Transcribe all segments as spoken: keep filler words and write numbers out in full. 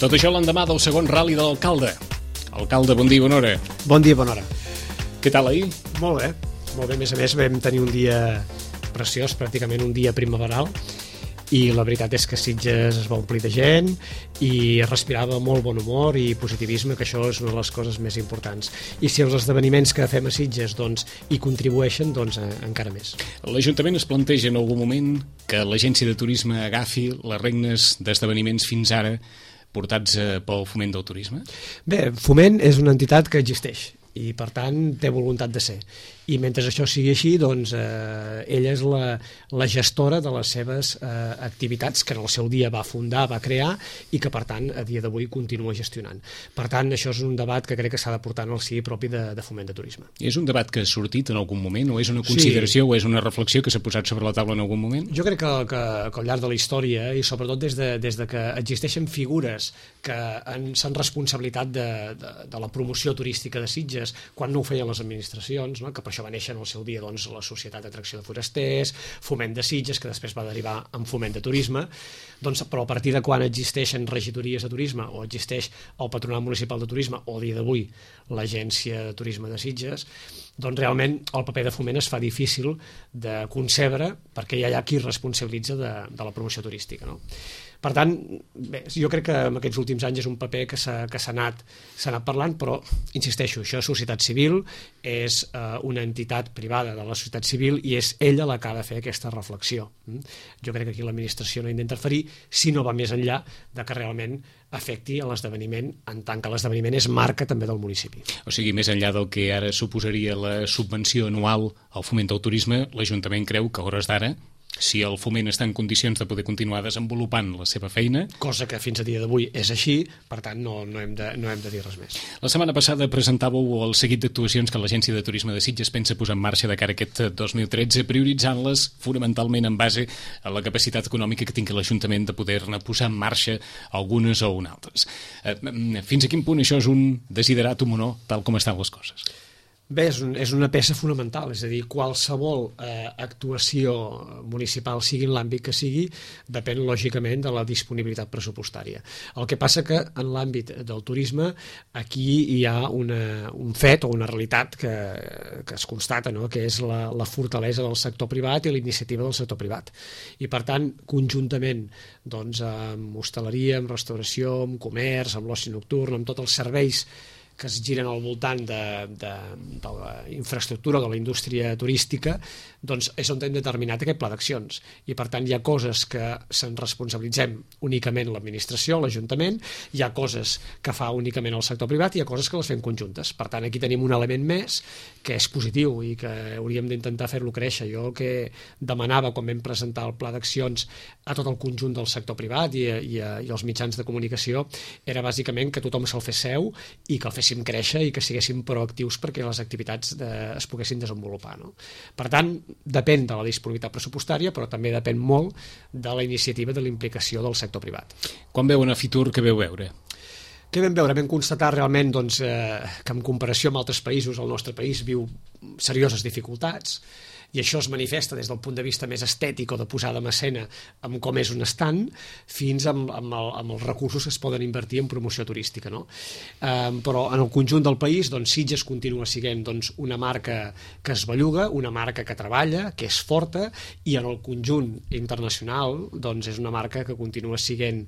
Tot això l'endemà del segon ral·li de l'alcalde. Alcalde, bon dia i bona hora. Bon dia i bona hora. Què tal ahir? Molt bé, molt bé. A més a més vam tenir un dia preciós, pràcticament un dia primaveral, i la veritat és que Sitges es va omplir de gent i es respirava molt bon humor i positivisme, que això és una de les coses més importants. I si els esdeveniments que fem a Sitges doncs, hi contribueixen, doncs eh, encara més. L'Ajuntament es planteja en algun moment que l'Agència de Turisme agafi les regnes d'esdeveniments fins ara portats eh, pel Foment del Turisme? Bé, Foment és una entitat que existeix i per tant té voluntat de ser, i mentre això sigui així, doncs eh, ella és la, la gestora de les seves eh, activitats que en el seu dia va fundar, va crear, i que per tant a dia d'avui continua gestionant. Per tant, això és un debat que crec que s'ha de portar en el si propi de, de Foment de Turisme. És un debat que ha sortit en algun moment, o és una consideració, sí, o és una reflexió que s'ha posat sobre la taula en algun moment? Jo crec que, que, que al llarg de la història, i sobretot des de, des de que existeixen figures que s'han responsabilitat de, de, de la promoció turística de Sitges, quan no ho feien les administracions, no? Que per això va néixer en el seu dia doncs, la Societat d'Atracció de Forasters, Foment de Sitges, que després va derivar en Foment de Turisme, doncs, però a partir de quan existeixen regidories de turisme o existeix el Patronat Municipal de Turisme o a dia d'avui l'Agència de Turisme de Sitges, doncs realment el paper de Foment es fa difícil de concebre perquè ja hi ha qui responsabilitza de, de la promoció turística, no? Per tant, bé, jo crec que en aquests últims anys és un paper que s'ha que s'ha anat, s'ha anat parlant, però, insisteixo, això és societat civil, és eh, una entitat privada de la societat civil i és ella la que ha de fer aquesta reflexió. Jo crec que aquí l'administració no ha d'interferir si no va més enllà de que realment afecti a l'esdeveniment, en tant que l'esdeveniment és marca també del municipi. O sigui, més enllà del que ara suposaria la subvenció anual al Foment del Turisme, l'Ajuntament creu que a hores d'ara, si el Foment està en condicions de poder continuar desenvolupant la seva feina... Cosa que fins a dia d'avui és així, per tant no, no, hem de, no hem de dir res més. La setmana passada presentàveu el seguit d'actuacions que l'Agència de Turisme de Sitges pensa posar en marxa de cara a aquest dos mil tretze, prioritzant-les fonamentalment en base a la capacitat econòmica que tingui l'Ajuntament de poder-ne posar en marxa algunes o una altres. Fins a quin punt això és un desideratum o no, tal com estan les coses? Bé, és, un, és una peça fonamental, és a dir, qualsevol eh, actuació municipal, sigui en l'àmbit que sigui, depèn lògicament de la disponibilitat pressupostària. El que passa que en l'àmbit del turisme aquí hi ha una, un fet o una realitat que, que es constata, no? Que és la, la fortalesa del sector privat i la iniciativa del sector privat. I per tant, conjuntament doncs, amb hostaleria, amb restauració, amb comerç, amb l'oci nocturn, amb tots els serveis que es giren al voltant de, de, de la infraestructura, de la indústria turística, doncs és on hem determinat aquest pla d'accions. I per tant hi ha coses que se'n responsabilitzem únicament l'administració, l'Ajuntament, hi ha coses que fa únicament el sector privat i hi ha coses que les fem conjuntes. Per tant, aquí tenim un element més que és positiu i que hauríem d'intentar fer-lo créixer. Jo el que demanava quan vam presentar el pla d'accions a tot el conjunt del sector privat i, i, i els mitjans de comunicació era bàsicament que tothom se'l fes seu i que el féssim créixer i que siguéssim proactius perquè les activitats de, es poguessin desenvolupar, no? Per tant, depèn de la disponibilitat pressupostària, però també depèn molt de la iniciativa de la implicació del sector privat. Quan veuen a Fitur, què veu veure? Què vam veure? Vam constatar realment doncs, eh, que en comparació amb altres països el nostre país viu serioses dificultats, i això es manifesta des del punt de vista més estètic o de posada en escena amb com és un estand, fins amb, amb, el, amb els recursos que es poden invertir en promoció turística, no? Eh, però en el conjunt del país doncs, Sitges continua sent doncs, una marca que es belluga, una marca que treballa, que és forta, i en el conjunt internacional doncs, és una marca que continua sent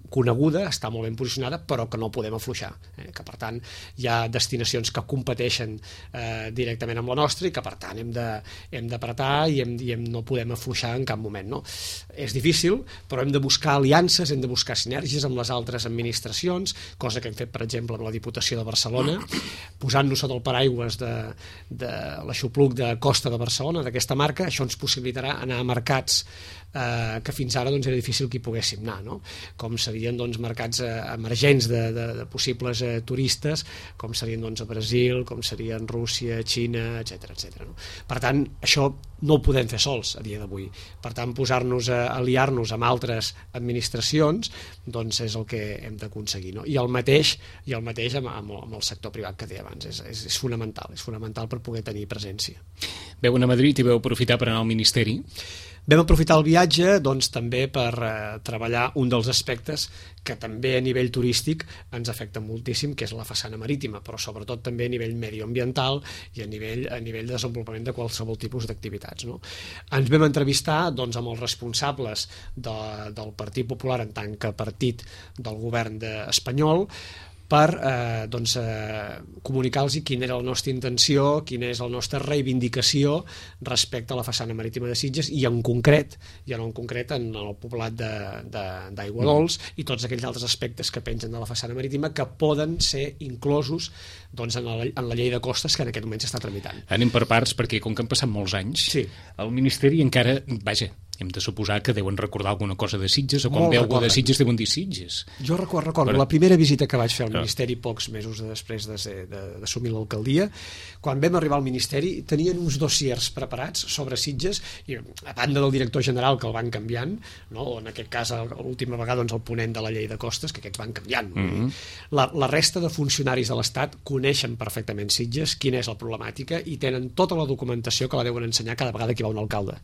coneguda, està molt ben posicionada, però que no podem afluixar, eh? Que per tant hi ha destinacions que competeixen eh, directament amb la nostra i que per tant hem de, hem d'apretar i, hem, i hem, no podem afluixar en cap moment, no? És difícil, però hem de buscar aliances, hem de buscar sinergies amb les altres administracions, cosa que hem fet per exemple amb la Diputació de Barcelona, posant-nos sota el paraigües de, de l'aixopluc de Costa de Barcelona, d'aquesta marca. Això ens possibilitarà anar a mercats eh, que fins ara doncs, era difícil que hi poguéssim anar, no? Com serien doncs, mercats eh, emergents de, de, de possibles eh, turistes, com serien doncs, a Brasil, com serien Rússia, Xina, etcètera, etcètera, no? Per tant, això no ho podem fer sols a dia d'avui. Per tant, posar-nos a aliar-nos amb altres administracions doncs és el que hem d'aconseguir, no? I el mateix, i el mateix amb, amb, amb el sector privat que deia abans, és, és, és fonamental, és fonamental per poder tenir presència. Veu anar a Madrid i veu aprofitar per anar al Ministeri? Vam aprofitar el viatge doncs, també per eh, treballar un dels aspectes que també a nivell turístic ens afecta moltíssim, que és la façana marítima, però sobretot també a nivell medioambiental i a nivell, a nivell de desenvolupament de qualsevol tipus d'activitats. No? Ens vam entrevistar doncs, amb els responsables de, del Partit Popular en tant que partit del govern de, espanyol, per eh, doncs, eh, comunicar-los quina era la nostra intenció, quina és la nostra reivindicació respecte a la façana marítima de Sitges i en concret, i en concret en el poblat d'Aiguadols i tots aquells altres aspectes que pengen de la façana marítima que poden ser inclosos doncs, en, la, en la llei de costes que en aquest moment s'està tramitant. Anem per parts perquè com que han passat molts anys, sí. el Ministeri encara, vaja, hem de suposar que deuen recordar alguna cosa de Sitges o quan Molt ve algú recorden. de Sitges deuen dir Sitges. Jo recordo, recordo Però... la primera visita que vaig fer al Ministeri pocs mesos després d'assumir l'alcaldia, quan vam arribar al Ministeri tenien uns dossiers preparats sobre Sitges i a banda del director general que el van canviant, no? O en aquest cas l'última vegada doncs, el ponent de la llei de costes que aquests van canviant. Mm -hmm. la, la resta de funcionaris de l'Estat coneixen perfectament Sitges, quina és la problemàtica i tenen tota la documentació que la deuen ensenyar cada vegada que hi va un alcalde.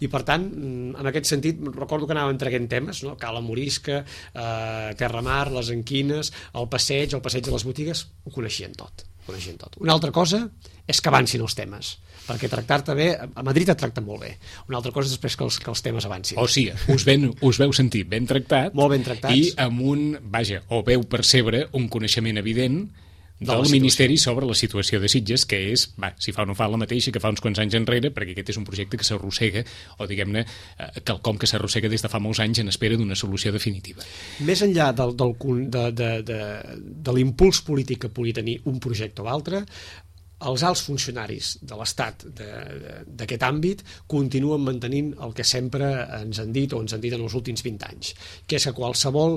I per tant, en aquest sentit, recordo que anàvem traient temes, no? Cala Morisca, eh, Terramar, les Enquines, el passeig, el passeig de les botigues, ho coneixien tot, ho coneixien tot. Una altra cosa és que avancin els temes, perquè tractar-te bé, a Madrid et tracten molt bé. Una altra cosa és després que els, que els temes avancin. O sigui, us, ben, us veu sentir ben tractat, molt ben tractats, i amb un, vaja, o veu percebre un coneixement evident del Ministeri sobre la situació de Sitges, que és, va, si fa o no fa la mateixa que fa uns quants anys enrere, perquè aquest és un projecte que s'arrossega, o diguem-ne, eh, quelcom que s'arrossega des de fa molts anys en espera d'una solució definitiva. Més enllà del, del, de, de, de, de l'impuls polític que pugui tenir un projecte o altre, els alts funcionaris de l'Estat d'aquest àmbit continuen mantenint el que sempre ens han dit o ens han dit en els últims vint anys, que és que qualsevol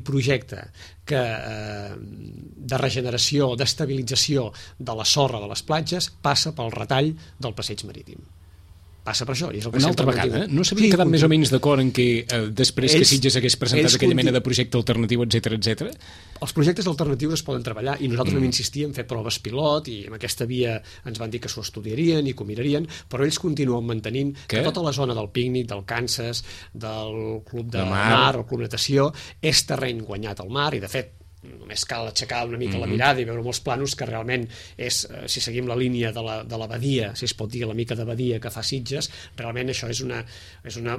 projecte que, eh, de regeneració o d'estabilització de la sorra de les platges passa pel retall del passeig marítim. Passa per això. I és el que una altra vegada, no s'havien quedat més o menys d'acord en que eh, després ells, que Sitges hagués presentat aquella mena de projecte alternatiu, etcètera, etcètera? Els projectes alternatius es poden treballar i nosaltres mm. vam insistir en fer proves pilot i amb aquesta via ens van dir que s'ho estudiarien i que ho mirarien, però ells continuen mantenint que, que tota la zona del pícnic, del Kansas, del Club de, de Mar, mar, el Club Natació, és terreny guanyat al mar i, de fet, només cal aixecar una mica mm-hmm. la mirada i veure molts planos que realment és, eh, si seguim la línia de la, de la badia, si es pot dir la mica de badia que fa Sitges, realment això és una, és una,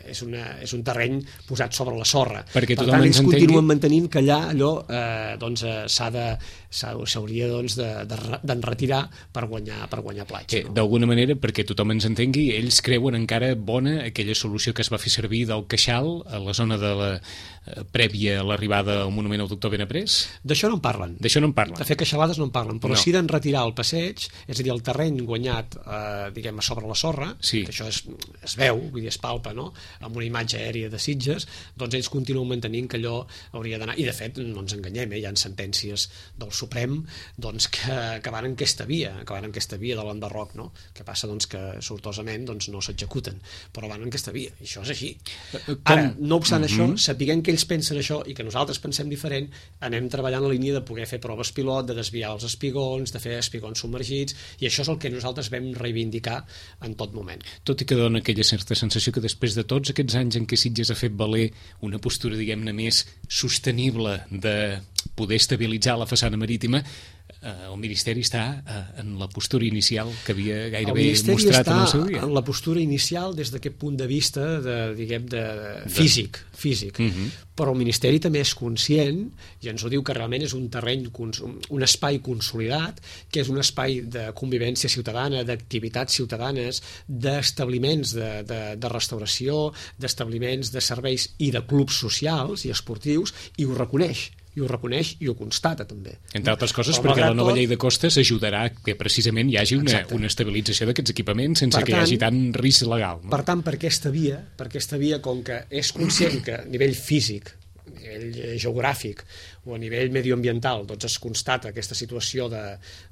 és una, és un terreny posat sobre la sorra. Perquè per tant, ells entengui... continuen mantenint que allà allò eh, doncs, eh, s'ha de s'hauria doncs, d'enretirar de, de, per guanyar, per guanyar platja. No? D'alguna manera, perquè tothom ens entengui, ells creuen encara bona aquella solució que es va fer servir del Queixal a la zona de la eh, prèvia a l'arribada al monument al doctor Benaprés? D'això no en parlen. D'això no en parlen. De fer queixalades no en parlen, però no. sí d'enretirar el passeig, és a dir, el terreny guanyat eh, diguem, a sobre la sorra, sí. que això es, es veu, vull dir, es palpa, no? Amb una imatge aèria de Sitges, doncs ells continuen mantenint que allò hauria d'anar, i de fet, no ens enganyem, eh? Hi ha sentències del Suprem doncs, que, que van en aquesta via, que van en aquesta via de l'enderroc, no? Que passa doncs, que sortosament doncs, no s'executen, però van en aquesta via, i això és així. Com? Ara, no obstant mm-hmm. això, sapiguem que ells pensen això i que nosaltres pensem diferent, anem treballant la línia de poder fer proves pilot, de desviar els espigons, de fer espigons submergits, i això és el que nosaltres vam reivindicar en tot moment. Tot i que dona aquella certa sensació que després de tots aquests anys en què Sitges ha fet valer una postura, diguem-ne, més sostenible de poder estabilitzar la façana marítima, el Ministeri està en la postura inicial que havia gairebé mostrat en el seu dia. El Ministeri està en la postura inicial des d'aquest punt de vista de, diguem, de físic, físic. Uh-huh. Però el Ministeri també és conscient, i ens ho diu, que realment és un terreny, un espai consolidat, que és un espai de convivència ciutadana, d'activitats ciutadanes, d'establiments de, de, de restauració, d'establiments de serveis i de clubs socials i esportius, i ho reconeix. i ho reconeix i ho constata també. Entre altres coses però perquè la nova tot... llei de costes ajudarà que precisament hi hagi una, una estabilització d'aquests equipaments sense per que tant, hi hagi tant risc legal. No? Per tant, per aquesta via, per aquesta via, com que és conscient que a nivell físic, a nivell geogràfic o a nivell medioambiental doncs es constata aquesta situació de,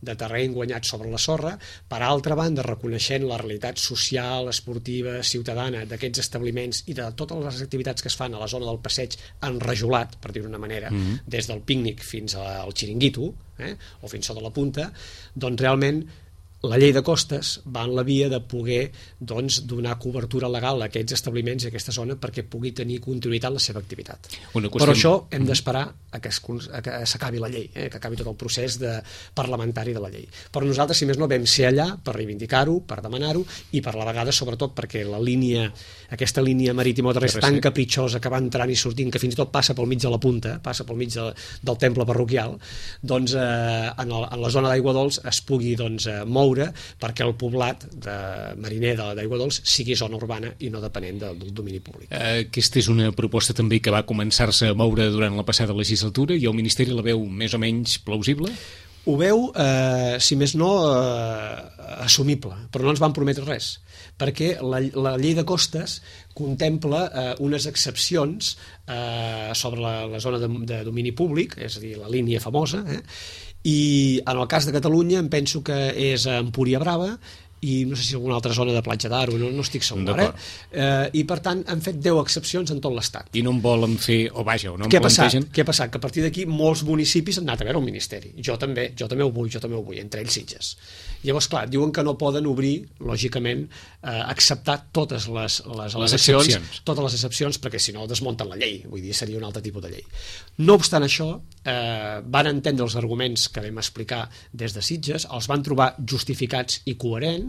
de terreny guanyat sobre la sorra, per altra banda reconeixent la realitat social, esportiva, ciutadana d'aquests establiments i de totes les activitats que es fan a la zona del passeig enrajolat, per dir-ho d'una manera, mm-hmm. des del pícnic fins al xiringuito, eh, o fins sota la punta, doncs realment La llei de costes va en la via de poder doncs, donar cobertura legal a aquests establiments i a aquesta zona perquè pugui tenir continuïtat la seva activitat. Qüestió... Però això hem d'esperar a que s'acabi la llei, eh? que acabi tot el procés de parlamentari de la llei. Però nosaltres, si més no, vam ser allà per reivindicar-ho, per demanar-ho i per la vegada, sobretot, perquè la línia, aquesta línia marítima és tan capritxosa que va entrant i sortint, que fins i tot passa pel mig de la punta, passa pel mig de, del temple parroquial, doncs eh, en, el, en la zona d'Aigua Dols es pugui doncs, moure perquè el poblat de mariner d'Aigua Dols sigui zona urbana i no depenent del, del domini públic. Aquesta és una proposta també que va començar-se a moure durant la passada legislatura i el Ministeri la veu més o menys plausible? Ho veu, eh, si més no, eh, assumible, però no ens van prometre res, perquè la, la llei de costes contempla eh, unes excepcions eh, sobre la, la zona de, de domini públic, és a dir, la línia famosa, eh, i en el cas de Catalunya em penso que és a Empúria Brava i no sé si alguna altra zona de Platja d'Aro, no, no estic segur, eh? Eh, i per tant han fet deu excepcions en tot l'Estat. I no en volen fer, o vaja, o no en Què ha plantegen? Passat? Què ha passat? Que a partir d'aquí molts municipis han anat a veure el Ministeri. Jo també, jo també ho vull, jo també ho vull, entre ells Sitges. Llavors, clar, diuen que no poden obrir, lògicament, eh, acceptar totes les, les, les excepcions, totes les excepcions, perquè si no desmunten la llei, vull dir, seria un altre tipus de llei. No obstant això, eh, van entendre els arguments que vam explicar des de Sitges, els van trobar justificats i coherents,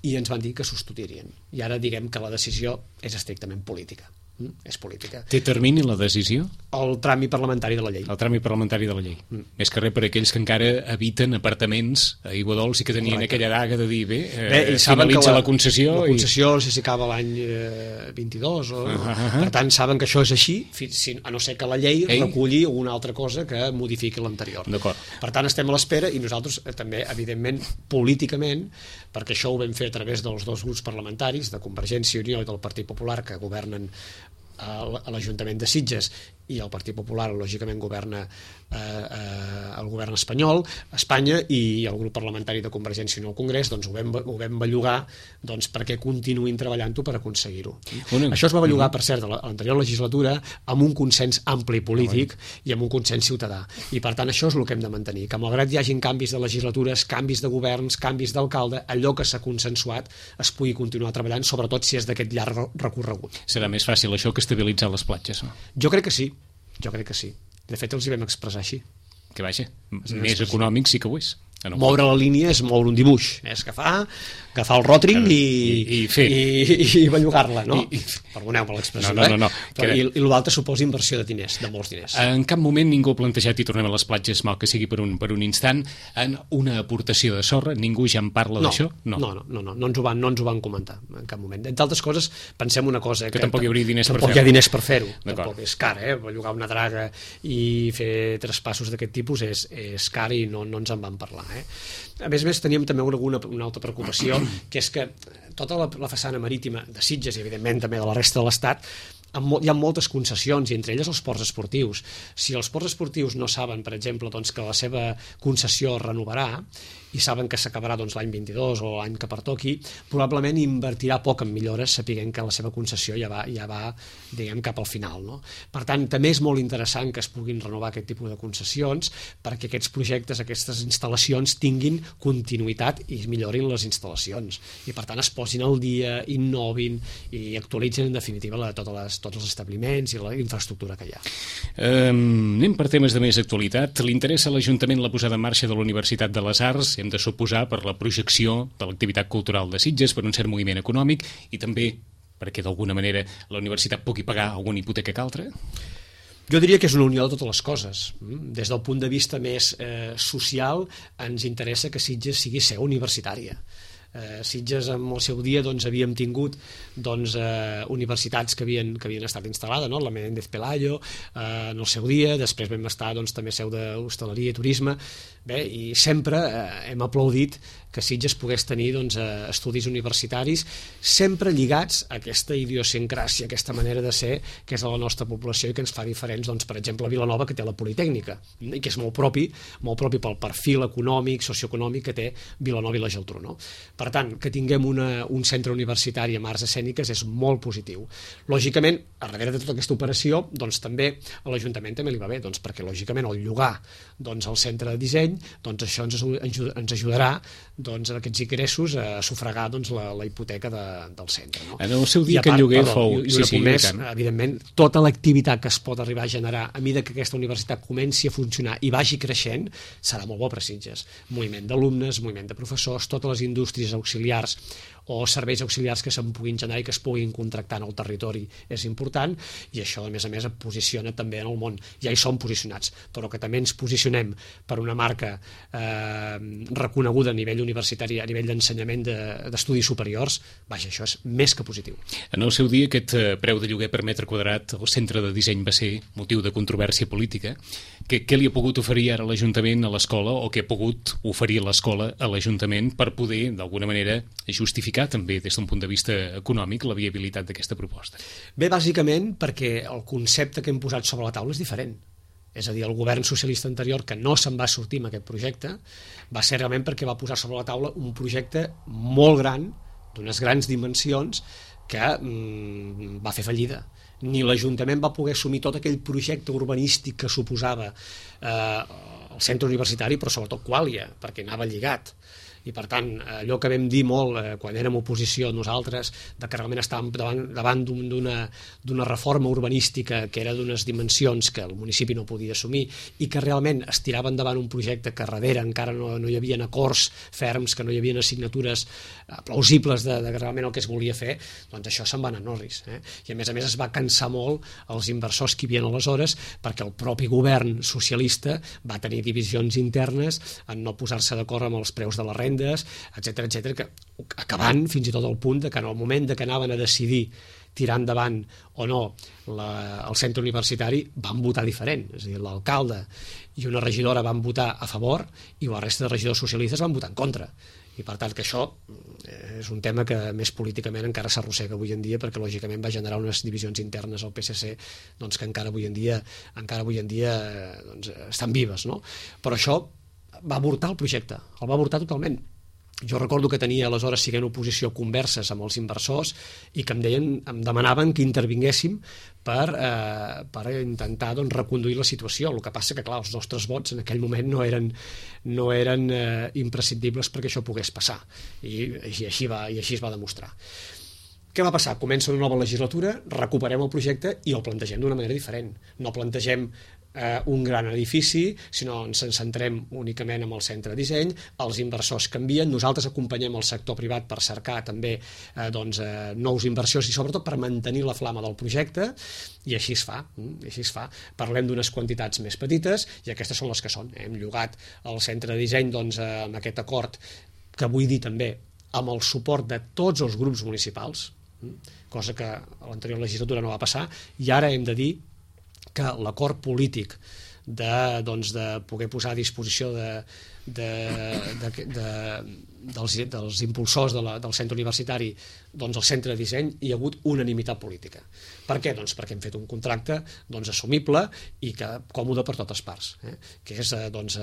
i ens van dir que substituirien. I ara diguem que la decisió és estrictament política. Mm, és política. Té termini la decisió? El tràmit parlamentari de la llei. El tràmit parlamentari de la llei. Mm. Més que res per aquells que encara habiten apartaments a Aigua Dols i que tenien Correcte. Aquella daga de dir, bé, eh, bé finalitza la, la concessió. La concessió, i... no sé si acaba l'any eh, vint-i-dos, o... uh -huh. per tant saben que això és així, si, a no ser que la llei Ei. reculli alguna altra cosa que modifiqui l'anterior. Per tant, estem a l'espera i nosaltres eh, també, evidentment, políticament, perquè això ho vam fer a través dels dos grups parlamentaris, de Convergència i Unió i del Partit Popular, que governen a l'Ajuntament de Sitges, i el Partit Popular lògicament governa eh, eh, el govern espanyol, Espanya, i el grup parlamentari de Convergència i Unió al Congrés, doncs ho vam, ho vam bellugar doncs, perquè continuïn treballant-ho per aconseguir-ho. Una... Això es va bellugar, per cert, a l'anterior legislatura amb un consens ampli polític i amb un consens ciutadà, i per tant això és el que hem de mantenir, que malgrat hi hagin canvis de legislatures, canvis de governs, canvis d'alcalde, allò que s'ha consensuat es pugui continuar treballant, sobretot si és d'aquest llarg recorregut. Serà més fàcil això que estabilitzar les platges, no? Jo crec que sí. Jo crec que sí. De fet, els hi vam expressar així. Que vaja, més econòmic sí que ho és. No moure la línia és moure un dibuix, és agafar, agafar el ròtring i, i, i, i, i bellugar-la, no? I, i... Perdoneu-me l'expressió, no, no, no, no. eh? Però, I, I l'altre suposa inversió de diners, de molts diners. En cap moment ningú ha plantejat, i tornem a les platges, mal que sigui per un, per un instant, en una aportació de sorra, ningú ja en parla no, d'això? No, no, no, no, no, no, ens ho van, no ens ho van comentar en cap moment. Entre altres coses, pensem una cosa... Que, que tampoc hi hauria diners tampoc per fer-ho. Tampoc hi ha diners per fer-ho. Tampoc és car, eh? Bellugar una draga i fer traspassos d'aquest tipus és, és car i no, no ens en van parlar, eh? A més a més, teníem també alguna, una altra preocupació, que és que tota la, la façana marítima de Sitges i, evidentment, també de la resta de l'Estat, hi ha moltes concessions, i entre elles els ports esportius. Si els ports esportius no saben, per exemple, doncs, que la seva concessió es renovarà, i saben que s'acabarà doncs, l'any vint-i-dos o l'any que pertoqui, probablement invertirà poc en millores, sapiguent que la seva concessió ja va, ja va diguem, cap al final, no? Per tant, també és molt interessant que es puguin renovar aquest tipus de concessions perquè aquests projectes, aquestes instal·lacions tinguin continuïtat i millorin les instal·lacions, i per tant es posin al dia, innovin i actualitzin en definitiva la, totes les, tots els establiments i la infraestructura que hi ha. Um, anem per temes de més actualitat. Li interessa a l'Ajuntament la posada en marxa de la Universitat de les Arts, hem de suposar per la projecció de l'activitat cultural de Sitges, per un cert moviment econòmic i també perquè d'alguna manera la universitat pugui pagar alguna hipoteca que altra? Jo diria que és una unió de totes les coses. Des del punt de vista més eh, social ens interessa que Sitges sigui seu universitària. Eh, Sitges en el seu dia doncs, havíem tingut doncs, eh, universitats que havien, que havien estat instal·lades, no? La Menéndez Pelayo eh, en el seu dia, després vam estar doncs, també seu d'hostaleria i turisme. Bé, i sempre eh, hem aplaudit que Sitges pogués tenir doncs, eh, estudis universitaris sempre lligats a aquesta idiosincràsia, aquesta manera de ser que és de la nostra població i que ens fa diferents, doncs, per exemple, a Vilanova, que té la Politècnica, i que és molt propi, molt propi pel perfil econòmic, socioeconòmic que té Vilanova i la Geltrú, no? Per Per tant, que tinguem una, un centre universitari amb arts escèniques és molt positiu. Lògicament, a darrere de tota aquesta operació, doncs també a l'Ajuntament també li va bé, doncs perquè lògicament al llogar doncs, el centre de disseny, doncs això ens, ens ajudarà doncs, a aquests ingressos a sufragar doncs, la, la hipoteca de, del centre. No? En el seu dia que el lloguer perdó, fou... I, i sí, sí, més, evidentment, tota l'activitat que es pot arribar a generar a mesura que aquesta universitat comenci a funcionar i vagi creixent, serà molt bo per Sitges. Moviment d'alumnes, moviment de professors, totes les indústries auxiliars o serveis auxiliars que se'n puguin generar i que es puguin contractar en el territori és important, i això a més a més et posiciona també en el món. Ja hi som posicionats, però que també ens posicionem per una marca eh, reconeguda a nivell universitari, a nivell d'ensenyament d'estudis superiors, vaja, això és més que positiu. En el seu dia aquest preu de lloguer per metre quadrat al centre de disseny va ser motiu de controvèrsia política. Què, què li ha pogut oferir ara l'Ajuntament a l'escola, o què ha pogut oferir l'escola a l'Ajuntament per poder, d'alguna manera, justificar també des d'un punt de vista econòmic la viabilitat d'aquesta proposta? Bé, bàsicament perquè el concepte que hem posat sobre la taula és diferent. És a dir, el govern socialista anterior, que no se'n va sortir amb aquest projecte, va ser realment perquè va posar sobre la taula un projecte molt gran, d'unes grans dimensions, que mm, va fer fallida. Ni l'Ajuntament va poder assumir tot aquell projecte urbanístic que suposava eh, el centre universitari, però sobretot Quàlia, perquè anava lligat. I per tant, allò que vam dir molt eh, quan érem oposició nosaltres, de que realment estàvem davant, davant d'una d'una reforma urbanística que era d'unes dimensions que el municipi no podia assumir i que realment es tirava endavant un projecte que darrere encara no, no hi havia acords ferms, que no hi havia assignatures eh, plausibles de, de realment el que es volia fer, doncs això se'n va anar a Norris. Eh? I a més a més es va cansar molt els inversors que hi havia aleshores, perquè el propi govern socialista va tenir divisions internes en no posar-se d'acord amb els preus de la renda, etcètera, etcètera, que acabant fins i tot al punt de que en el moment de que anaven a decidir tirar endavant o no la, el centre universitari van votar diferent, és a dir, l'alcalde i una regidora van votar a favor i la resta de regidors socialistes van votar en contra, i per tant que això és un tema que més políticament encara s'arrossega avui en dia, perquè lògicament va generar unes divisions internes al P S C doncs, que encara avui en dia encara avui en dia doncs, estan vives, no? Però això va avortar el projecte, el va avortar totalment. Jo recordo que tenia aleshores, siguent oposició, converses amb els inversors i que em deien, em demanaven que intervinguéssim per, eh, per intentar doncs, reconduir la situació. El que passa que, clar, els nostres vots en aquell moment no eren, no eren eh, imprescindibles perquè això pogués passar. I, i, així va, i així es va demostrar. Què va passar? Comença una nova legislatura, recuperem el projecte i el plantegem d'una manera diferent. No plantegem eh, un gran edifici, sinó ens centrem únicament en el centre de disseny, els inversors canvien, nosaltres acompanyem el sector privat per cercar també eh, doncs, eh, nous inversors i sobretot per mantenir la flama del projecte, i així es fa, i així es fa. Parlem d'unes quantitats més petites i aquestes són les que són. Hem llogat el centre de disseny doncs, eh, amb aquest acord que vull dir també amb el suport de tots els grups municipals, cosa que a l'anterior legislatura no va passar, i ara hem de dir que l'acord polític de, doncs, de poder posar a disposició de, de, de, de, dels, dels impulsors de la, del centre universitari doncs, el centre de disseny, hi ha hagut unanimitat política. Per què? Doncs perquè hem fet un contracte doncs, assumible i que còmode per totes parts, eh? que és doncs,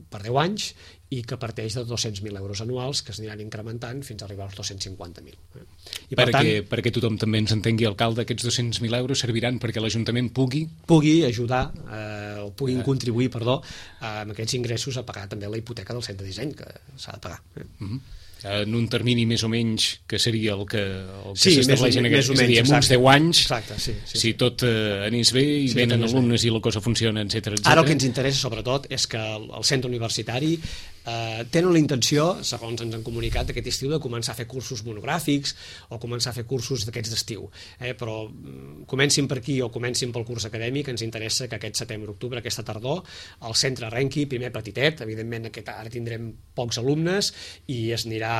per deu anys i que parteix de dos-cents mil euros anuals que es aniran incrementant fins a arribar als dos-cents cinquanta mil. Eh? I per perquè, tant, perquè tothom també ens entengui, alcalde, aquests dos-cents mil euros serviran perquè l'Ajuntament pugui... Pugui ajudar, eh, o puguin eh. contribuir, perdó, amb aquests ingressos a pagar també la hipoteca del centre de disseny, que s'ha de pagar. Eh? Mm-hmm. En un termini més o menys que seria el que, el que sí, s'estableix en aquest, és a dir, en uns deu anys, exacte, sí, sí, si tot eh, anés bé i sí, venen alumnes bé. I la cosa funciona, etcètera, etcètera. Ara el que ens interessa sobretot és que el, el centre universitari eh, tenen la intenció, segons ens han comunicat aquest estiu, de començar a fer cursos monogràfics o començar a fer cursos d'aquests d'estiu, eh, però mm, comencin per aquí o comencin pel curs acadèmic. Ens interessa que aquest setembre-octubre, aquesta tardor, el centre arrenqui, primer petitet, evidentment aquest, ara tindrem pocs alumnes i es anirà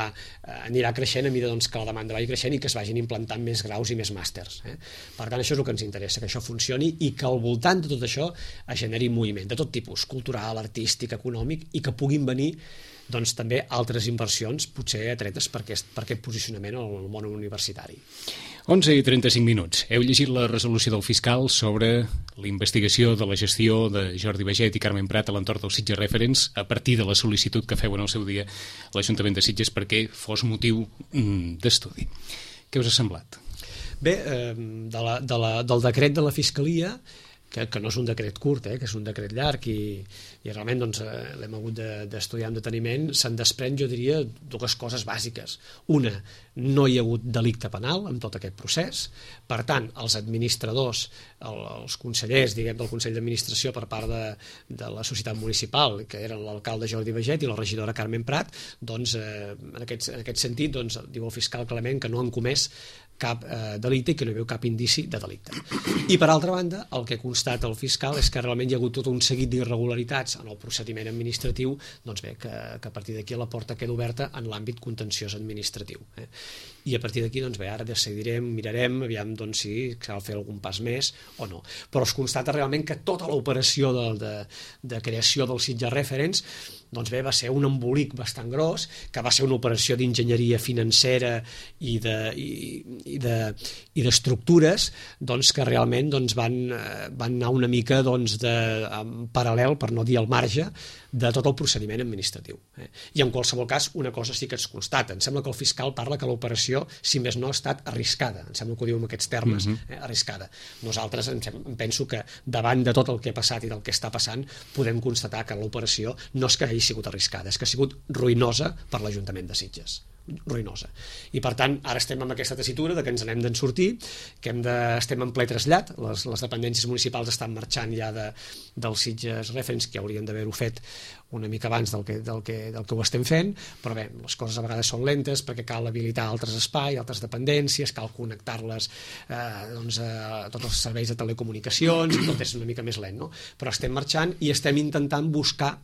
anirà creixent a mesura doncs, que la demanda vagi creixent i que es vagin implantant més graus i més màsters. Eh? Per tant, això és el que ens interessa, que això funcioni i que al voltant de tot això es generi moviment de tot tipus, cultural, artístic, econòmic, i que puguin venir doncs també altres inversions potser atretes per aquest, per aquest posicionament al món universitari. onze i trenta-cinc minuts. Heu llegit la resolució del fiscal sobre la investigació de la gestió de Jordi Baiget i Carmen Prat a l'entorn del Sitges Reference a partir de la sol·licitud que feu en el seu dia a l'Ajuntament de Sitges perquè fos motiu mm, d'estudi. Què us ha semblat? Bé, eh, de la, de la, del decret de la Fiscalia, que, que no és un decret curt, eh, que és un decret llarg i, i realment doncs, eh, l'hem hagut d'estudiar de, amb deteniment, se'n desprèn, jo diria, dues coses bàsiques. Una, no hi ha hagut delicte penal en tot aquest procés, per tant, els administradors, el, els consellers, diguem, del Consell d'Administració per part de, de la societat municipal, que eren l'alcalde Jordi Baiget i la regidora Carmen Prat, doncs, eh, en, aquest, en aquest sentit, doncs, diu el fiscal clarament que no han comès cap eh, delicte i que no hi veu cap indici de delicte. I per altra banda, el que constata el fiscal és que realment hi ha hagut tot un seguit d'irregularitats en el procediment administratiu, doncs bé, que, que a partir d'aquí la porta queda oberta en l'àmbit contenciós administratiu. Eh? I a partir d'aquí, doncs bé, ara decidirem, mirarem, aviam doncs, si cal fer algun pas més o no. Però es constata realment que tota l'operació de, de, de creació del Sitges Reference doncs bé, va ser un embolic bastant gros, que va ser una operació d'enginyeria financera i de, i, i de, i d'estructures doncs, que realment doncs, van, van anar una mica doncs, de, en paral·lel, per no dir al marge, de tot el procediment administratiu. Eh? I en qualsevol cas, una cosa sí que es constata. Em sembla que el fiscal parla que l'operació, si més no, ha estat arriscada. Em sembla que ho diu en aquests termes, eh? arriscada. Nosaltres em, em penso que davant de tot el que ha passat i del que està passant, podem constatar que l'operació no és que hagi sigut arriscada, és que ha sigut ruïnosa per l'Ajuntament de Sitges. Ruïnosa. I per tant, ara estem amb aquesta tessitura de que ens n'hem d'en sortir, que hem de, estem en ple trasllat, les, les dependències municipals estan marxant ja de, del Sitges Reference, que haurien d'haver-ho fet una mica abans del que, del, que, del que ho estem fent, però bé, les coses a vegades són lentes perquè cal habilitar altres espais, altres dependències, cal connectar-les eh, doncs, a tots els serveis de telecomunicacions, i tot és una mica més lent, no? Però estem marxant i estem intentant buscar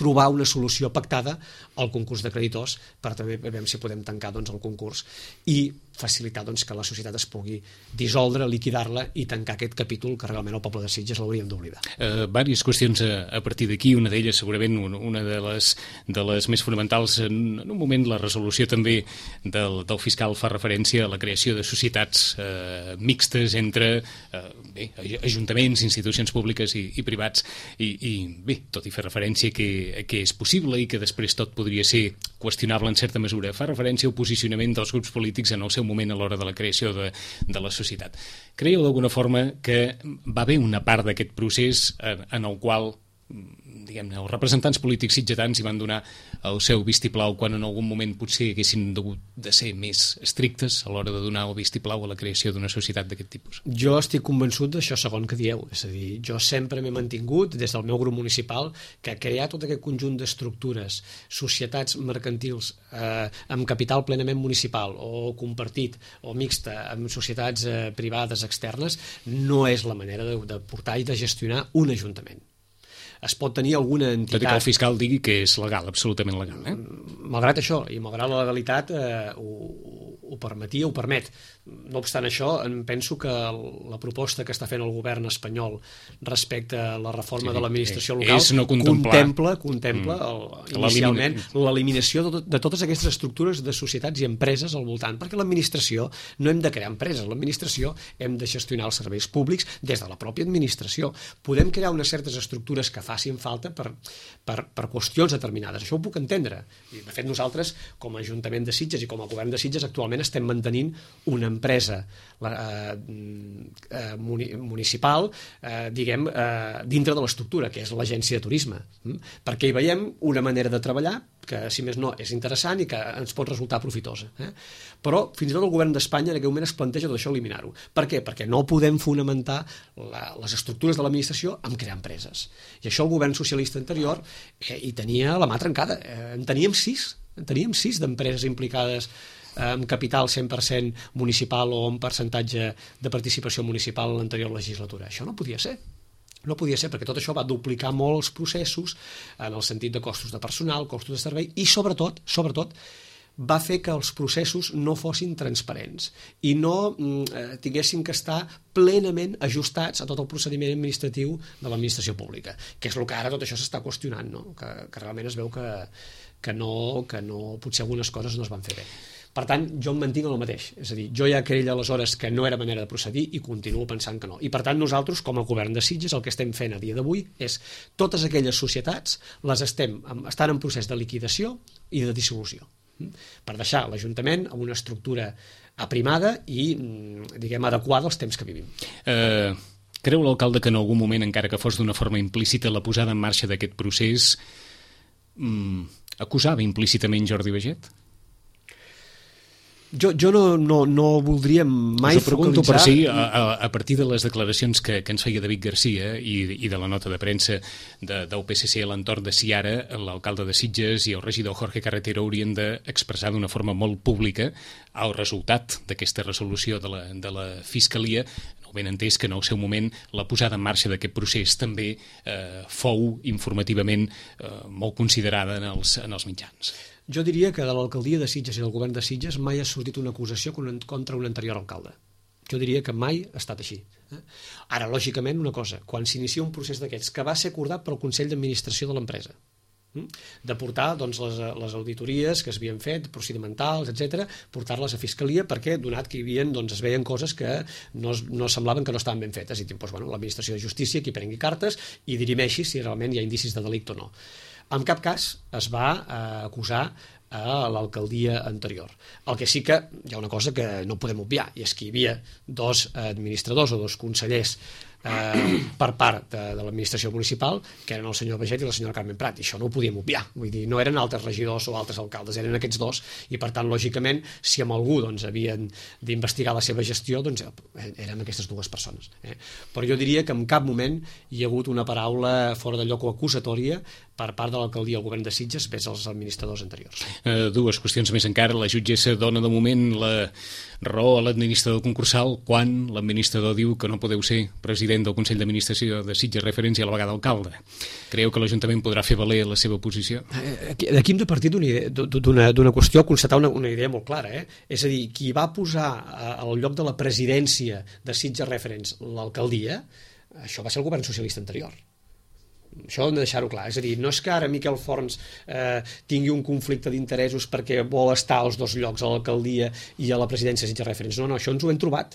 trobar una solució pactada al concurs de creditors per també veure si podem tancar doncs, el concurs i facilitar doncs, que la societat es pugui dissoldre, liquidar-la i tancar aquest capítol que realment el poble de Sitges l'hauríem d'oblidar. Uh, Vàries qüestions a, a partir d'aquí, una d'elles segurament una de les, de les més fonamentals, en, en un moment la resolució també del, del fiscal fa referència a la creació de societats uh, mixtes entre uh, bé, ajuntaments, institucions públiques i, i privats i, i bé, tot i fer referència que, que és possible i que després tot podria ser qüestionable en certa mesura, fa referència al posicionament dels grups polítics en el seu moment a l'hora de la creació de, de la societat. Creieu d'alguna forma que va haver una part d'aquest procés en, en el qual diguem-ne, els representants polítics sitgetans hi van donar el seu vistiplau quan en algun moment potser haguessin hagut de ser més estrictes a l'hora de donar el vistiplau a la creació d'una societat d'aquest tipus? Jo estic convençut d'això segon que dieu, és a dir, jo sempre m'he mantingut des del meu grup municipal que crear tot aquest conjunt d'estructures, societats mercantils eh, amb capital plenament municipal o compartit o mixta amb societats eh, privades externes no és la manera de, de portar i de gestionar un ajuntament. Es pot tenir alguna entitat... Tot i que el fiscal digui que és legal, absolutament legal. Eh? Malgrat això, i malgrat la legalitat, eh, ho, ho permetia, ho permet. No obstant això, em penso que la proposta que està fent el govern espanyol respecte a la reforma sí, de l'administració local no contempla, contempla mm. el, inicialment l'eliminació de, de totes aquestes estructures de societats i empreses al voltant, perquè l'administració no hem de crear empreses, l'administració hem de gestionar els serveis públics des de la pròpia administració. Podem crear unes certes estructures que facin falta per, per, per qüestions determinades. Això ho puc entendre. I, de fet, nosaltres, com a Ajuntament de Sitges i com a Govern de Sitges, actualment estem mantenint una empresa la, eh, municipal, eh, diguem, eh, dintre de l'estructura, que és l'Agència de Turisme. Mm? Perquè hi veiem una manera de treballar que, si més no, és interessant i que ens pot resultar profitosa. Eh? Però, fins i tot el Govern d'Espanya en aquell moment es planteja tot això eliminar-ho. Per què? Perquè no podem fonamentar la, les estructures de l'administració amb crear empreses. I això el govern socialista anterior eh, hi tenia la mà trencada. Eh, en teníem sis, en teníem sis d'empreses implicades amb capital cent per cent municipal o amb percentatge de participació municipal en l'anterior legislatura. Això no podia ser. No podia ser, perquè tot això va duplicar molt els processos en el sentit de costos de personal, costos de servei i, sobretot, sobretot va fer que els processos no fossin transparents i no eh, tinguessin que estar plenament ajustats a tot el procediment administratiu de l'administració pública, que és el que ara tot això s'està qüestionant, no? que, que realment es veu que, que, no, que no, potser algunes coses no es van fer bé. Per tant, jo em mantinc en el mateix. És a dir, jo ja creia aleshores que no era manera de procedir i continuo pensant que no. I per tant, nosaltres, com a govern de Sitges, el que estem fent a dia d'avui és totes aquelles societats les estem, estan en procés de liquidació i de dissolució, per deixar l'Ajuntament amb una estructura aprimada i, diguem, adequada als temps que vivim. Uh, creu l'alcalde que en algun moment, encara que fos d'una forma implícita, la posada en marxa d'aquest procés um, acusava implícitament Jordi Baiget? Jo, jo no, no, no voldria mai Us ho pregunto focalitzar... per si, a, a partir de les declaracions que, que ens feia David Garcia i, i de la nota de premsa de, del P S C a l'entorn de si ara l'alcalde de Sitges i el regidor Jorge Carretero haurien d'expressar d'una forma molt pública el resultat d'aquesta resolució de la, de la Fiscalia, no ben entès que en el seu moment la posada en marxa d'aquest procés també eh, fou informativament eh, molt considerada en els, en els mitjans. Jo diria que de l'alcaldia de Sitges i del govern de Sitges mai ha sortit una acusació contra un anterior alcalde. Jo diria que mai ha estat així. Ara, lògicament, una cosa, quan s'inicia un procés d'aquests que va ser acordat pel Consell d'Administració de l'empresa, de portar doncs, les, les auditories que s'havien fet, procedimentals, etcètera, portar-les a Fiscalia perquè, donat que hi havia, doncs, es veien coses que no, no semblaven que no estaven ben fetes. I doncs, bueno, l'Administració de Justícia qui prengui cartes i dirimeixi si realment hi ha indicis de delicte o no. En cap cas es va eh, acusar a l'alcaldia anterior. El que sí que hi ha una cosa que no podem obviar, i és que hi havia dos administradors o dos consellers eh, per part de, de l'administració municipal, que eren el senyor Baiget i la senyora Carmen Prat, i això no ho podíem obviar. Vull dir, no eren altres regidors o altres alcaldes, eren aquests dos, i per tant, lògicament, si amb algú doncs, havien d'investigar la seva gestió, doncs eren aquestes dues persones. Eh? Però jo diria que en cap moment hi ha hagut una paraula fora de lloc o acusatòria per part de l'alcaldia al govern de Sitges vers els administradors anteriors. Uh, dues qüestions més encara. La jutgessa dona de moment la raó a l'administrador concursal quan l'administrador diu que no podeu ser president del Consell d'Administració de Sitges referència a la vegada alcalde. Creu que l'Ajuntament podrà fer valer la seva posició? Aquí hem de partir d'una qüestió, constatar una, una idea molt clara. Eh? És a dir, qui va posar al lloc de la presidència de Sitges Referents l'alcaldia, això va ser el govern socialista anterior. Això hem de deixar-ho clar, és a dir, no és que ara Miquel Forns eh, tingui un conflicte d'interessos perquè vol estar als dos llocs, a l'alcaldia i a la presidència de Sitges Referents. No, no, això ens ho hem trobat.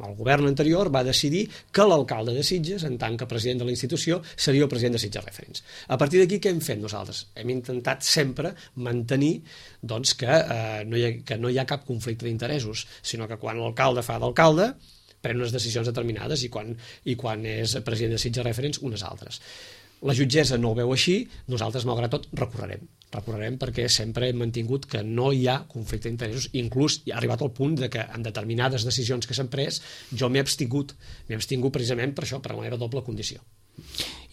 El govern anterior va decidir que l'alcalde de Sitges, en tant que president de la institució, seria el president de Sitges Referents. A partir d'aquí, què hem fet nosaltres? Hem intentat sempre mantenir doncs, que, eh, no hi ha, que no hi ha cap conflicte d'interessos, sinó que quan l'alcalde fa d'alcalde, pren unes decisions determinades i quan, i quan és president de Sitges Referents, unes altres. La jutgessa no ho veu així, nosaltres, malgrat tot, recorrerem. Recorrerem perquè sempre hem mantingut que no hi ha conflicte d'interessos, inclús ha arribat al punt de que en determinades decisions que s'han pres jo m'he abstingut, m'he abstingut precisament per això, per la meva doble condició.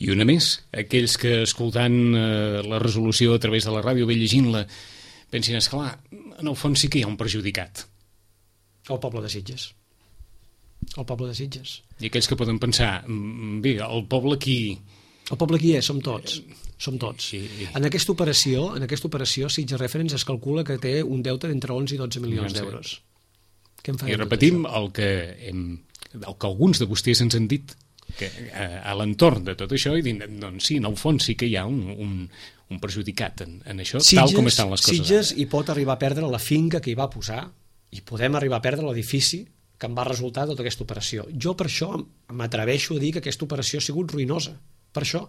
I una més, aquells que escoltant eh, la resolució a través de la ràdio, bé llegint-la, pensin, esclar, en el fons sí que hi ha un perjudicat. El poble de Sitges. El poble de Sitges. I aquells que poden pensar, bé, el poble aquí... El poble aquí és, som tots. Som tots. Sí. En aquesta operació, en aquesta operació, Sitges Referents es calcula que té un deute d'entre onze i dotze milions d'euros. Què en farem? I repetim el que, hem, el que alguns de vostès ens han dit, que a, a l'entorn de tot això, i diuen, doncs sí, en el fons sí que hi ha un, un, un perjudicat en, en això, Sitges, tal com estan les coses. Sitges hi pot arribar a perdre la finca que hi va posar, i podem arribar a perdre l'edifici que en va resultar tota aquesta operació. Jo per això m'atreveixo a dir que aquesta operació ha sigut ruïnosa. Per això,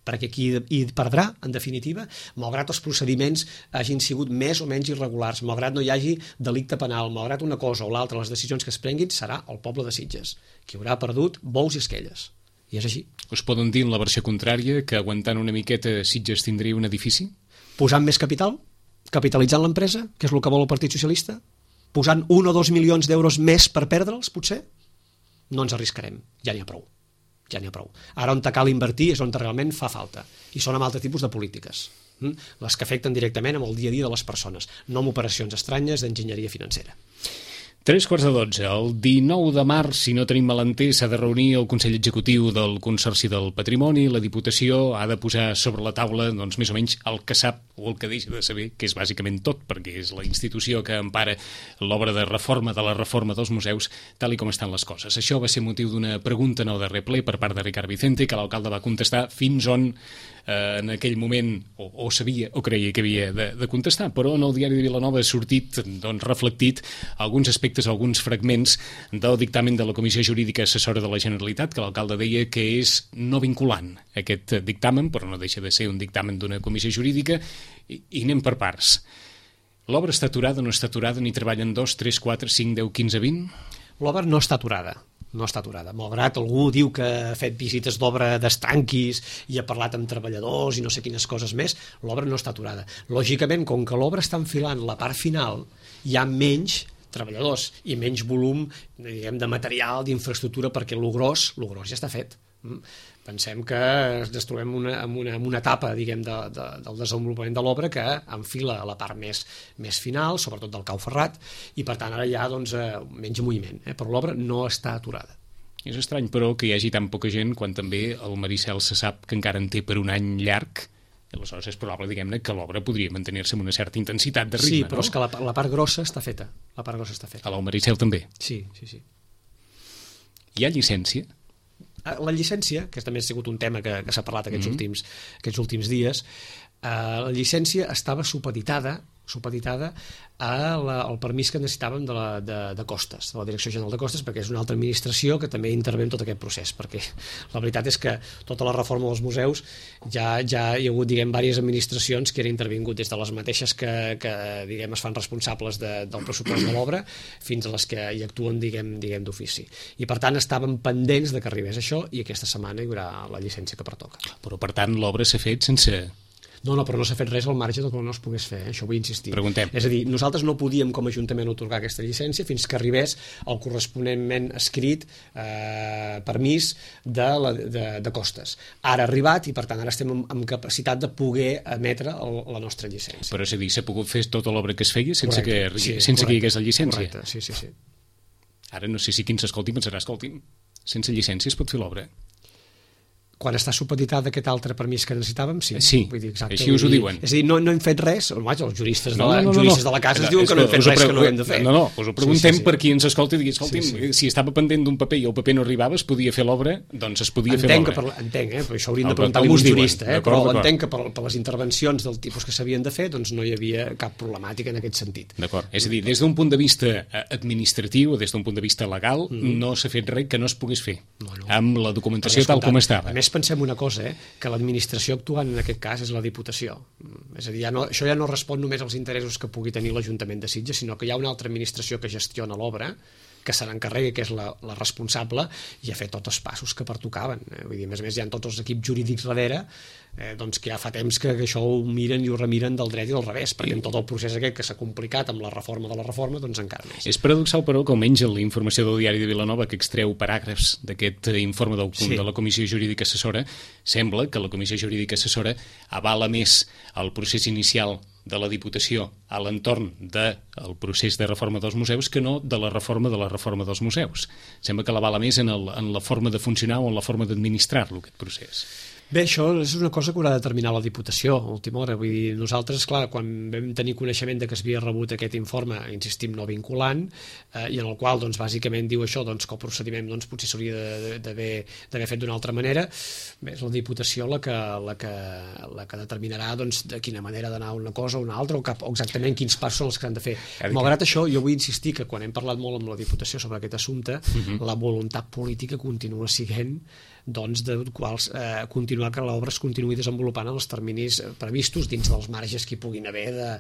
perquè qui hi perdrà, en definitiva, malgrat els procediments hagin sigut més o menys irregulars, malgrat no hi hagi delicte penal, malgrat una cosa o l'altra, les decisions que es prenguin, serà el poble de Sitges, qui haurà perdut bous i esquelles. I és així. Us poden dir en la versió contrària que aguantant una miqueta Sitges tindria un edifici? Posant més capital? Capitalitzant l'empresa? Que és el que vol el Partit Socialista? Posant un o dos milions d'euros més per perdre'ls, potser? No ens arriscarem, ja n'hi ha prou. Ja n'hi ha prou. Ara on cal invertir és on realment fa falta, i són amb altres tipus de polítiques, les que afecten directament amb el dia a dia de les persones, no amb operacions estranyes d'enginyeria financera. Tres quarts de dotze. El dinou de març, si no tenim malentès, s'ha de reunir el Consell Executiu del Consorci del Patrimoni. La Diputació ha de posar sobre la taula, doncs, més o menys el que sap o el que deixa de saber, que és bàsicament tot, perquè és la institució que empara l'obra de reforma de la reforma dels museus, tal i com estan les coses. Això va ser motiu d'una pregunta en el darrer ple per part de Ricard Vicente, que l'alcalde va contestar fins on eh, en aquell moment o, o sabia o creia que havia de, de contestar, però en el diari de Vilanova ha sortit, doncs, reflectit alguns aspectes, alguns fragments del dictamen de la Comissió Jurídica Assessora de la Generalitat, que l'alcalde deia que és no vinculant aquest dictamen, però no deixa de ser un dictamen d'una comissió jurídica, i, i anem per parts. L'obra està aturada, no està aturada, ni treballen dos, tres, quatre, cinc, deu, quinze, vint? L'obra no està aturada. No està aturada. Malgrat algú diu que ha fet visites d'obra d'estanquis i ha parlat amb treballadors i no sé quines coses més, l'obra no està aturada. Lògicament, com que l'obra està enfilant la part final, hi ha menys treballadors i menys volum, diguem, de material, d'infraestructura, perquè lo gros, lo gros ja està fet. Pensem que ens trobem una, en, una, en una etapa, diguem, de, de, del desenvolupament de l'obra que enfila la part més, més final, sobretot del cau ferrat, i per tant ara hi ha, doncs, menys moviment, eh? Però l'obra no està aturada. És estrany, però, que hi hagi tan poca gent quan també el Maricel se sap que encara en té per un any llarg, i aleshores és probable, diguem-ne, que l'obra podria mantenir-se amb una certa intensitat de ritme, sí, però no? és que la, la part grossa està feta. La part grossa està feta. A l'Almericel també? Sí, sí, sí. Hi ha llicència? La llicència, que també ha sigut un tema que, que s'ha parlat aquests, mm-hmm. últims, aquests últims dies, eh, la llicència estava supeditada supeditada a la, al permís que necessitàvem de, la, de, de Costes, de la Direcció General de Costes, perquè és una altra administració que també intervé en tot aquest procés, perquè la veritat és que tota la reforma dels museus ja, ja hi ha hagut, diguem, diverses administracions que han intervingut, des de les mateixes que, que diguem, es fan responsables de, del pressupost de l'obra fins a les que hi actuen, diguem, diguem d'ofici. I per tant estàvem pendents de que arribés això i aquesta setmana hi haurà la llicència que pertoca. Però per tant l'obra s'ha fet sense... No, no, però no s'ha fet res al marge del que no es pogués fer, eh? Això vull insistir. Preguntem. És a dir, nosaltres no podíem com a Ajuntament otorgar aquesta llicència fins que arribés el corresponentment escrit eh, permís de, la, de, de Costes. Ara ha arribat i per tant ara estem amb, amb capacitat de poder emetre el, la nostra llicència. Però és a dir, s'ha pogut fer tota l'obra que es feia sense, correcte, que, sí, sense correcte, que hi hagués la llicència? Correcte, sí, sí, sí. Ara no sé si qui ens escolti pensarà, escolti'm, sense llicència es pot fer l'obra? Quan està supeditada aquest altre permís que necessitàvem, sí. Sí, vull dir, exacte, així us ho dir, diuen. És a dir, no, no hem fet res, vaja, els juristes de la, no, no, no, juristes no. de la casa no, ens diuen que no hem fet res que no hem de fer. No, no, us ho preguntem sí, sí, sí. per qui ens escolti i digui, escolti'm, sí, sí. si estava pendent d'un paper i el paper no arribava, es podia fer l'obra, doncs es podia entenc fer l'obra. Que per, entenc, eh? Però això hauríem el, de preguntar a un jurista, eh? Però entenc que per, per les intervencions del tipus que s'havien de fer, doncs no hi havia cap problemàtica en aquest sentit. D'acord, és a dir, des d'un punt de vista administratiu, des d'un punt de vista legal, mm. no s'ha fet res que no es pogués fer, no, no. amb la documentació tal com estava. A més, pensem una cosa, eh? Que l'administració actuant en aquest cas és la Diputació. És a dir, ja no, això ja no respon només als interessos que pugui tenir l'Ajuntament de Sitges, sinó que hi ha una altra administració que gestiona l'obra, que se n'encarrega, que és la, la responsable, i ha fet tots els passos que pertocaven. Eh? Vull dir, a més a més, hi ha tots els equips jurídics darrere, eh, doncs que ja fa temps que, que això ho miren i ho remiren del dret i del revés, perquè en tot el procés aquest que s'ha complicat amb la reforma de la reforma, doncs encara més. És paradoxal, però, que almenys la informació del diari de Vilanova, que extreu paràgrafs d'aquest informe del, sí. de la Comissió Jurídica Assessora, sembla que la Comissió Jurídica Assessora avala més el procés inicial de la Diputació a l'entorn del procés de reforma dels museus que no de la reforma de la reforma dels museus. Sembla que l'avala més en, el, en la forma de funcionar o en la forma d'administrar-lo, aquest procés. Bé, això és una cosa que haurà de determinar la Diputació a última hora. Vull dir, nosaltres, clar, quan vam tenir coneixement de que es havia rebut aquest informe, insistim, no vinculant, eh, i en el qual, doncs, bàsicament diu això, doncs, que el procediment, doncs, potser s'hauria d'haver fet d'una altra manera, bé, és la Diputació la que, la que, la que determinarà, doncs, de quina manera d'anar una cosa o una altra, o, cap, o exactament quins passos són els que han de fer. Malgrat això, jo vull insistir que quan hem parlat molt amb la Diputació sobre aquest assumpte, uh-huh. la voluntat política continua sent doncs, de quals eh, continuar que l'obra es continuï desenvolupant en els terminis previstos dins dels marges que hi puguin haver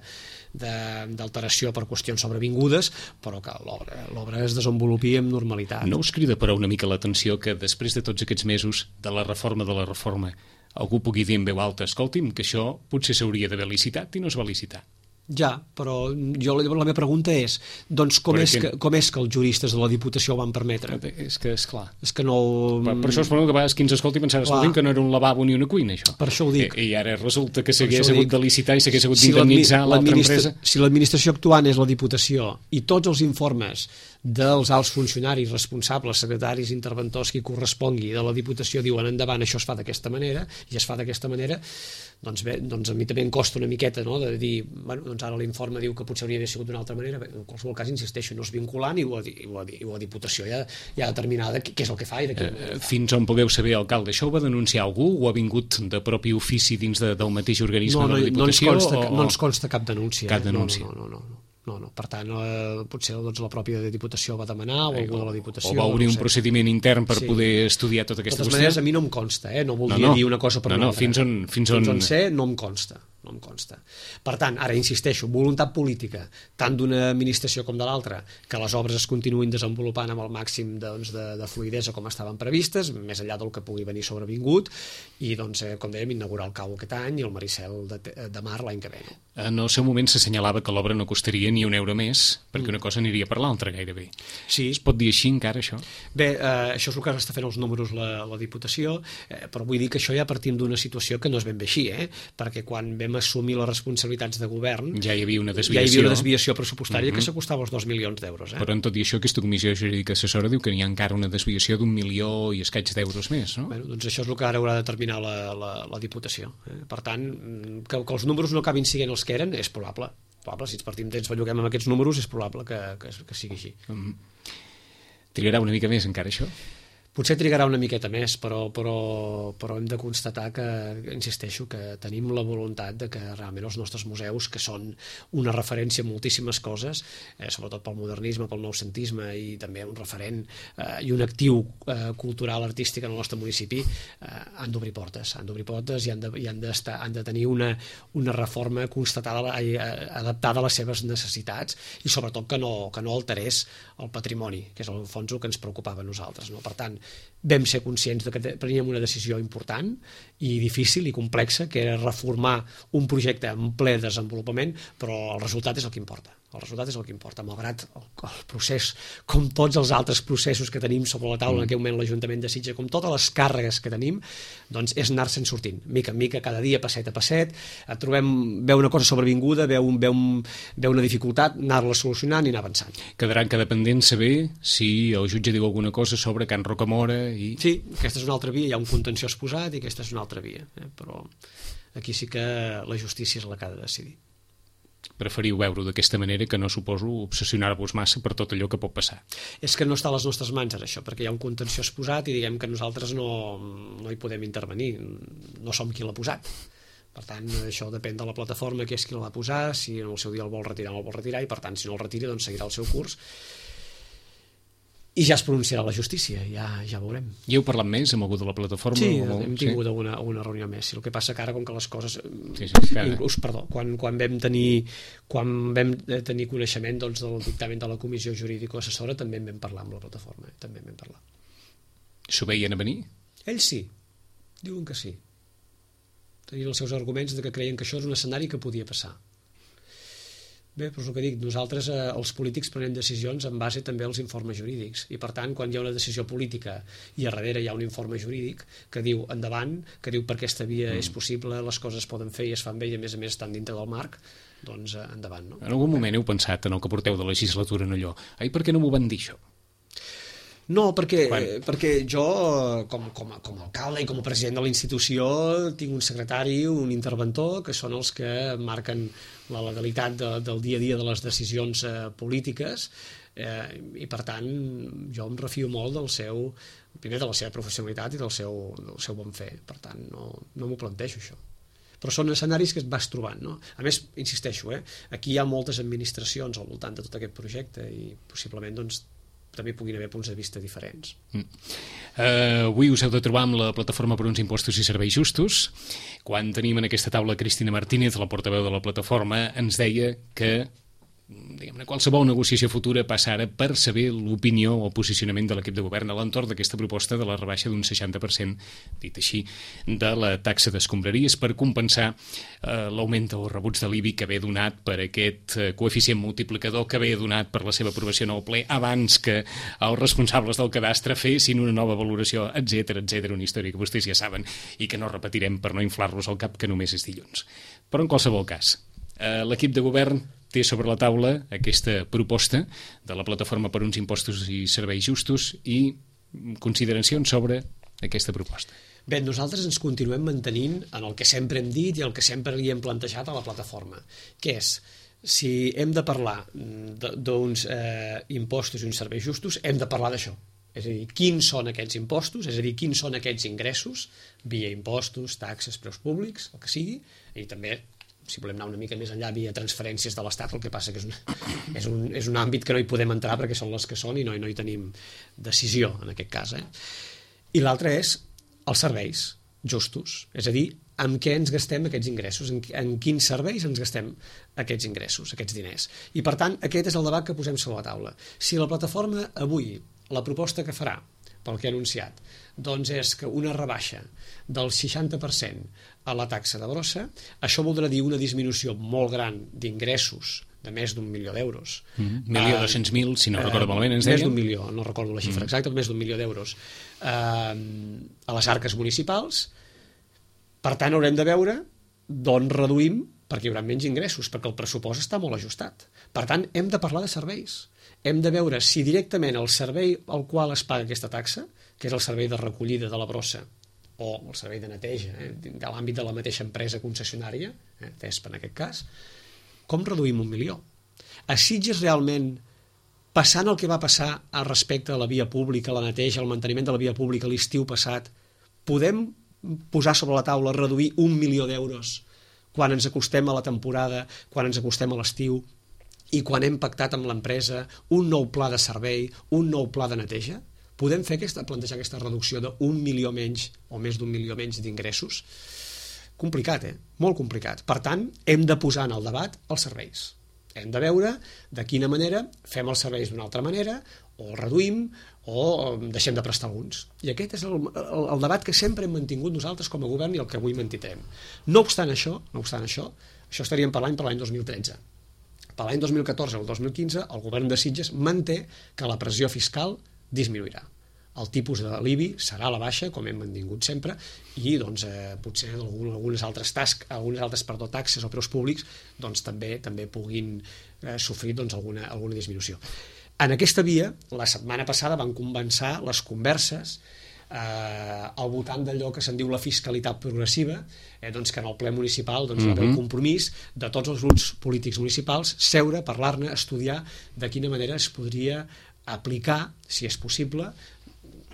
d'alteració per qüestions sobrevingudes, però que l'obra es desenvolupi amb normalitat. No us crida, però, una mica l'atenció que després de tots aquests mesos de la reforma de la reforma algú pugui dir en veu alta, escolti'm, que això potser s'hauria d'haver licitat i no es va licitar? Ja, però jo la, la meva pregunta és, doncs com és, que, com és que els juristes de la Diputació ho van permetre? És que, esclar... És que no... Per, per això es parla que a vegades qui ens escolti pensar, escolti'm, que no era un lavabo ni una cuina, això. Per això ho dic. I, i ara resulta que s'hagués hagut de licitar i s'hagués hagut d'indemnitzar l'altra empresa. Si l'administració actuant és la Diputació i tots els informes dels alts funcionaris responsables, secretaris, interventors, qui correspongui de la Diputació diuen endavant, això es fa d'aquesta manera, i es fa d'aquesta manera, doncs bé, doncs a mi també em costa una miqueta, no?, de dir, bueno, doncs ara l'informe diu que potser hauria d'haver sigut d'una altra manera. Bé, en qualsevol cas, insisteixo, no és vinculant i ho ha, i ho ha, i ho ha Diputació ja, ja determinada què és el que fa i de què... Eh, fins on podeu saber, alcalde, això ho va denunciar algú o ha vingut de propi ofici dins de, del mateix organisme no, no, de la Diputació? No ens consta, o... no ens consta cap denúncia. Cap denúncia. No, no, no, no, no. No, no. Per tant, eh, potser doncs, la pròpia Diputació va demanar o algú de la Diputació... O va obrir no un sé. procediment intern per sí. poder estudiar tota aquesta qüestió? De totes maneres, a mi no em consta, eh? No voldria no, no. dir una cosa per no, una no, altra. Fins on, fins on... Fins on sé, no em consta. No em consta. Per tant, ara insisteixo, voluntat política, tant d'una administració com de l'altra, que les obres es continuïn desenvolupant amb el màxim doncs, de, de fluidesa com estaven previstes, més enllà del que pugui venir sobrevingut, i, doncs, eh, com dèiem, inaugurar el Cau aquest any i el Maricel de, de mar l'any que ve. No? En el seu moment s'assenyalava que l'obra no costaria ni un euro més, perquè una cosa aniria per l'altra, gairebé. Sí. Es pot dir així encara, això? Bé, eh, això és el que està fent els números la, la Diputació, eh, però vull dir que això ja partim d'una situació que no és ben bé així, eh? Perquè quan vam assumir les responsabilitats de govern... Ja hi havia una desviació. Ja hi havia una desviació pressupostària uh -huh. que s'acostava als dos milions d'euros. Eh? Però en tot i això, aquesta comissió jurídica assessora diu que hi ha encara una desviació d'un milió i escaig d'euros més, no? Bueno, doncs això és el que ara haurà de determinar la, la, la Diputació. Eh? Per tant, que, que els números no acabin sent els que eren, és probable. probable. Si ens partim d'ells belluguem amb aquests números, és probable que, que, que sigui així. Uh -huh. Trigarà una mica més encara, això? Potser trigarà una miqueta més, però, però, però hem de constatar que, insisteixo, que tenim la voluntat de que realment els nostres museus, que són una referència en moltíssimes coses, eh, sobretot pel modernisme, pel noucentisme i també un referent eh, i un actiu eh, cultural, artístic en el nostre municipi, eh, han d'obrir portes, han d'obrir portes i han de, i han d'estar, han de tenir una, una reforma constatada, eh, adaptada a les seves necessitats i sobretot que no, que no alterés el patrimoni, que és al fons el que ens preocupava a nosaltres. No? Per tant, vam ser conscients de que preníem una decisió important i difícil i complexa, que era reformar un projecte en ple desenvolupament, però el resultat és el que importa. El resultat és el que importa, malgrat el, el procés, com tots els altres processos que tenim sobre la taula en aquell moment l'Ajuntament de Sitges, com totes les càrregues que tenim, doncs és anar-se'n sortint, mica en mica, cada dia, passet a passet, trobem, veu una cosa sobrevinguda, veu, veu, veu una dificultat, anar-la solucionant i anar avançant. Quedarà en cada pendent saber si el jutge diu alguna cosa sobre Can Rocamora i... Sí, aquesta és una altra via, hi ha un contenció exposat i aquesta és una altra via, eh? Però aquí sí que la justícia és la que ha de decidir. Preferiu veure-ho d'aquesta manera, que no suposo obsessionar-vos massa per tot allò que pot passar. És que no està a les nostres mans ara això, perquè hi ha un contenció exposat i diguem que nosaltres no, no hi podem intervenir, no som qui l'ha posat. Per tant, això depèn de la plataforma, que és qui el va posar, si en el seu dia el vol retirar o no el vol retirar, i per tant, si no el retira, doncs seguirà el seu curs. I ja es pronunciarà la justícia, ja, ja veurem. I heu parlat més amb algú de la plataforma? Sí, o... hem tingut sí. alguna, alguna reunió més. El que passa que ara, com que les coses... Sí, sí, inclús, perdó, quan, quan, vam tenir, quan vam tenir coneixement doncs, del dictamen de la comissió jurídico-assessora, també en vam parlar amb la plataforma. Eh? També en vam parlar. S'ho veien a venir? Ells sí, diuen que sí. Tenien els seus arguments de que creien que això és un escenari que podia passar. Bé, però és el que dic, nosaltres, eh, els polítics, prenem decisions en base també als informes jurídics, i per tant, quan hi ha una decisió política i a darrere hi ha un informe jurídic que diu endavant, que diu per aquesta via mm. és possible, les coses es poden fer i es fan bé i a més a més estan dintre del marc, doncs eh, endavant. No? En algun moment heu pensat en el que porteu de legislatura en allò, ai, per què no m'ho van dir això? No, perquè, perquè jo, com, com, a, com a alcalde i com a president de la institució, tinc un secretari, un interventor, que són els que marquen la legalitat de, del dia a dia de les decisions eh, polítiques, eh, i per tant jo em refio molt del seu, primer de la seva professionalitat i del seu, del seu bon fer. Per tant, no, no m'ho plantejo, això. Però són escenaris que et vas trobant, no? A més, insisteixo, eh, aquí hi ha moltes administracions al voltant de tot aquest projecte i possiblement, doncs, també puguin haver punts de vista diferents. Mm. Uh, avui us heu de trobar amb la plataforma per uns impostos i serveis justos. Quan tenim en aquesta taula Cristina Martínez, la portaveu de la plataforma, ens deia que diguem-ne, qualsevol negociació futura passa ara per saber l'opinió o posicionament de l'equip de govern a l'entorn d'aquesta proposta de la rebaixa d'un seixanta per cent, dit així, de la taxa d'escombraries per compensar eh, l'augment dels rebuts de l'I B I que ve donat per aquest eh, coeficient multiplicador que ve donat per la seva aprovació en el ple abans que els responsables del cadastre fessin una nova valoració, etcètera, etcètera, una història que vostès ja saben i que no repetirem per no inflar-los al cap, que només és dilluns. Però en qualsevol cas, eh, l'equip de govern té sobre la taula aquesta proposta de la Plataforma per uns impostos i serveis justos i consideracions sobre aquesta proposta. Bé, nosaltres ens continuem mantenint en el que sempre hem dit i el que sempre li hem plantejat a la plataforma, que és, si hem de parlar d'uns eh, impostos i uns serveis justos, hem de parlar d'això. És a dir, quins són aquests impostos, és a dir, quins són aquests ingressos, via impostos, taxes, preus públics, el que sigui, i també, si volem anar una mica més enllà, via transferències de l'Estat, el que passa que és un, és un, és un àmbit que no hi podem entrar perquè són les que són i no, no hi tenim decisió, en aquest cas. Eh? I l'altre és els serveis justos, és a dir, amb què ens gastem aquests ingressos, en, en quins serveis ens gastem aquests ingressos, aquests diners. I, per tant, aquest és el debat que posem sobre la taula. Si la plataforma avui, la proposta que farà, pel que ha anunciat, doncs és que una rebaixa del seixanta per cent a la taxa de brossa, això voldrà dir una disminució molt gran d'ingressos de més d'un milió d'euros. Mm, milió dos-cents mil, si no eh, recordo malament, ens deien? Més d'un milió, no recordo la xifra mm. exacta, més d'un milió d'euros eh, a les arques municipals. Per tant, haurem de veure d'on reduïm, perquè hi haurà menys ingressos, perquè el pressupost està molt ajustat. Per tant, hem de parlar de serveis. Hem de veure si directament el servei al qual es paga aquesta taxa, que és el servei de recollida de la brossa, o el servei de neteja, eh, de l'àmbit de la mateixa empresa concessionària, eh, T E S P en aquest cas, com reduïm un milió? A Sitges realment, passant el que va passar al respecte de la via pública, la neteja, el manteniment de la via pública l'estiu passat, podem posar sobre la taula reduir un milió d'euros quan ens acostem a la temporada, quan ens acostem a l'estiu i quan hem pactat amb l'empresa un nou pla de servei, un nou pla de neteja? Podem fer aquesta, plantejar aquesta reducció d'un milió menys o més d'un milió menys d'ingressos? Complicat, eh? Molt complicat. Per tant, hem de posar en el debat els serveis. Hem de veure de quina manera fem els serveis d'una altra manera, o el reduïm, o deixem de prestar alguns. I aquest és el, el, el debat que sempre hem mantingut nosaltres com a govern i el que avui mantindrem. No obstant això, no obstant això, això estaríem parlant per l'any dos mil tretze. Per l'any dos mil catorze o el dos mil quinze, el govern de Sitges manté que la pressió fiscal disminuirà. El tipus de l'I B I serà a la baixa, com hem mantingut sempre, i doncs, eh, potser algunes altres tasques, algunes altres perdó, taxes o preus públics doncs, també també puguin eh, sofrir doncs, alguna, alguna disminució. En aquesta via, la setmana passada van començar les converses eh, al voltant d'allò que se'n diu la fiscalitat progressiva, eh, doncs, que en el ple municipal doncs, mm-hmm. va haver el compromís de tots els grups polítics municipals seure, parlar-ne, estudiar de quina manera es podria aplicar, si és possible,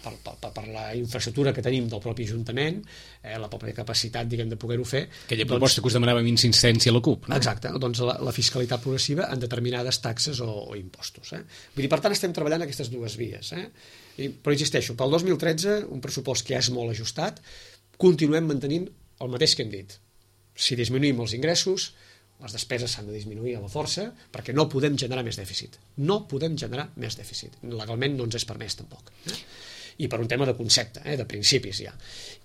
Per, per, per la infraestructura que tenim del propi Ajuntament, eh, la pròpia capacitat, diguem, de poder-ho fer. Aquella proposta doncs, que us demanava amb insistència a la CUP, no? Exacte, doncs la, la fiscalitat progressiva en determinades taxes o, o impostos. Eh? Vull dir, per tant, estem treballant aquestes dues vies. Eh? I, però insisteixo, pel dos mil tretze, un pressupost que ja és molt ajustat, continuem mantenint el mateix que hem dit. Si disminuïm els ingressos, les despeses s'han de disminuir a la força, perquè no podem generar més dèficit. No podem generar més dèficit. Legalment no ens és permès, tampoc. Eh? I per un tema de concepte, eh, de principis ja.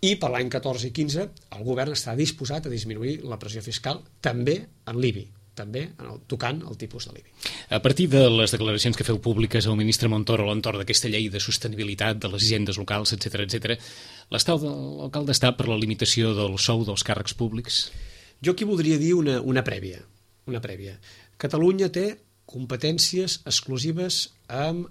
I per l'any catorze i quinze el govern està disposat a disminuir la pressió fiscal també en l'I B I, també en el, tocant el tipus de l'I B I. A partir de les declaracions que feu públiques al ministre Montoro a l'entorn d'aquesta llei de sostenibilitat de les hisendes locals, etcètera, etcètera, l'alcalde està per la limitació del sou dels càrrecs públics? Jo aquí voldria dir una, una prèvia, una prèvia. Catalunya té competències exclusives amb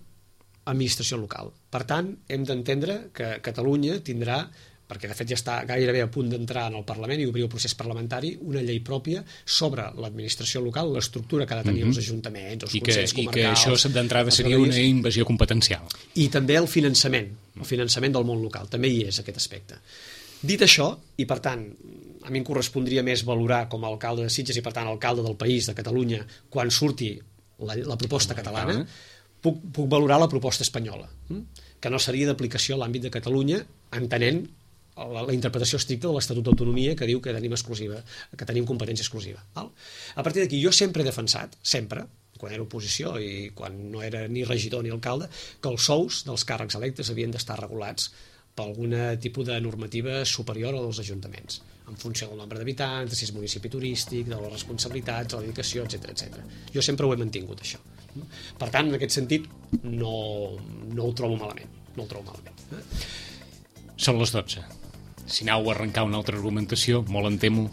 administració local. Per tant, hem d'entendre que Catalunya tindrà, perquè de fet ja està gairebé a punt d'entrar en el Parlament i obrir el procés parlamentari, una llei pròpia sobre l'administració local, l'estructura que ha de tenir mm-hmm. els ajuntaments, els I consells que, comarcals... I que això d'entrada seria una invasió competencial. I també el finançament, el finançament del món local, també hi és aquest aspecte. Dit això, i per tant, a mi em correspondria més valorar com a alcalde de Sitges i per tant alcalde del país, de Catalunya, quan surti la, la proposta catalana, Puc, puc valorar la proposta espanyola, que no seria d'aplicació a l'àmbit de Catalunya, entenent la, la interpretació estricta de l'Estatut d'Autonomia que diu que tenim exclusiva, que tenim competència exclusiva. Val? A partir d'aquí, jo sempre he defensat, sempre, quan era oposició i quan no era ni regidor ni alcalde, que els sous dels càrrecs electes havien d'estar regulats per algun tipus de normativa superior a dels ajuntaments, en funció del nombre d'habitants, de si és municipi turístic, de les responsabilitats, de la dedicació, etcètera, etcètera. Jo sempre ho he mantingut, això. Per tant, en aquest sentit, no, no ho trobo malament. No ho trobo malament. Són les dotze. Si anau a arrencar una altra argumentació, molt em temo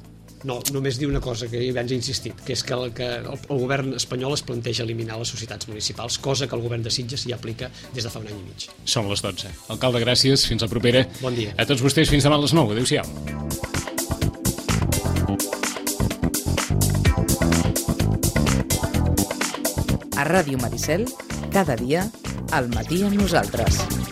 No, només dir una cosa que abans he insistit, que és que el, que el, el govern espanyol es planteja eliminar les societats municipals, cosa que el govern de Sitges ja aplica des de fa un any i mig. Són les dotze. Alcalde, gràcies. Fins la propera. Bon dia. A tots vostès, fins demà a les nou. Adéu-siau. A Ràdio Maricel, cada dia, al matí amb nosaltres.